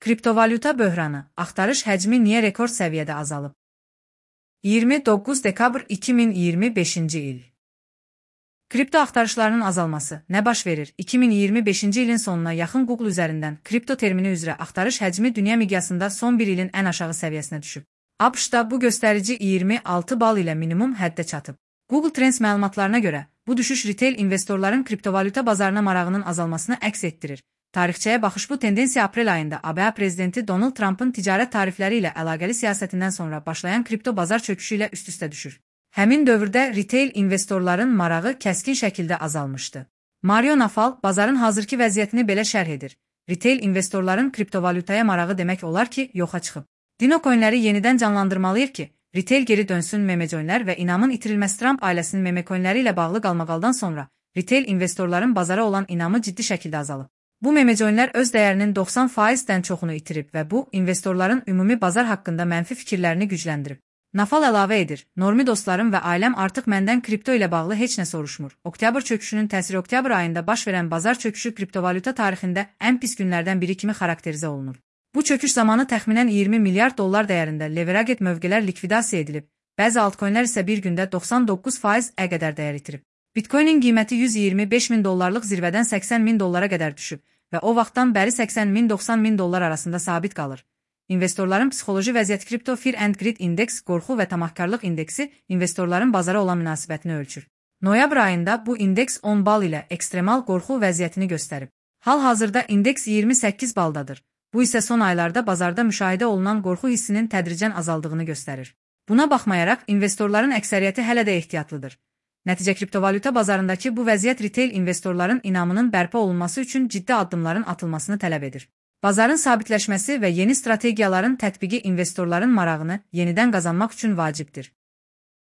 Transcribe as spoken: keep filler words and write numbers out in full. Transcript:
Kriptovalyuta böhranı, axtarış həcmi niyə rekord səviyyədə azalıb? iyirmi doqquz dekabr iki min iyirmi beşinci il. Kripto axtarışlarının azalması nə baş verir? iki min iyirmi beşinci ilin sonuna yaxın Google üzərindən kripto termini üzrə axtarış həcmi dünya miqyasında son bir ilin ən aşağı səviyyəsinə düşüb. ABŞ-da bu göstərici iyirmi altı bal ilə minimum həddə çatıb. Google Trends məlumatlarına görə, bu düşüş retail investorların kriptovalyuta bazarına marağının azalmasını əks etdirir. Tarixçəyə baxış bu tendensiya aprel ayında A B A prezidenti Donald Trump'ın ticarət tarifləri ilə əlaqəli siyasətindən sonra başlayan kripto bazar çöküşü ilə üst-üstə düşür. Həmin dövrdə retail investorların marağı kəskin şəkildə azalmışdı. Mario Naval bazarın hazırki vəziyyətini belə şərh edir. Retail investorların kriptovalyutaya marağı demək olar ki, yoxa çıxıb. Dino coinləri yenidən canlandırmalıyıq ki, retail geri dönsün. Memecoinlər və inamın itirilməsi Trump ailəsinin memecoinləri ilə bağlı qalmaqaldan sonra retail investorların bazara olan inamı ciddi şəkildə azalıb. Bu memecoinlər öz dəyərinin doxsan faizdən çoxunu itirib və bu, investorların ümumi bazar haqqında mənfi fikirlərini gücləndirib. Naval əlavə edir, normi dostlarım və ailəm artıq məndən kripto ilə bağlı heç nə soruşmur. Oktyabr çöküşünün təsiri oktyabr ayında baş verən bazar çöküşü kriptovalyuta tarixində ən pis günlərdən biri kimi xarakterizə olunur. Bu çöküş zamanı təxminən iyirmi milyard dollar dəyərində leveraged mövqelər likvidasiya edilib, bəzi altcoinlər isə bir gündə doxsan doqquz faizə qədər dəyər itirib. Bitcoinin qiyməti yüz iyirmi beş min dollarlıq zirvədən səksən min dollara qədər düşüb və o vaxtdan bəri səksən min doxsan min dollar arasında sabit qalır. İnvestorların psixoloji vəziyyət Crypto Fear and Greed Index, qorxu və tamahkarlıq indeksi investorların bazara olan münasibətini ölçür. Noyabr ayında bu indeks on bal ilə ekstremal qorxu vəziyyətini göstərib. Hal-hazırda indeks iyirmi səkkiz baldadır. Bu isə son aylarda bazarda müşahidə olunan qorxu hissinin tədricən azaldığını göstərir. Buna baxmayaraq, investorların əksəriyyəti hələ də ehtiyatlıdır. Nəticə kriptovalyuta bazarındakı bu vəziyyət retail investorların inamının bərpa olunması üçün ciddi addımların atılmasını tələb edir. Bazarın sabitləşməsi və yeni strategiyaların tətbiqi investorların marağını yenidən qazanmaq üçün vacibdir.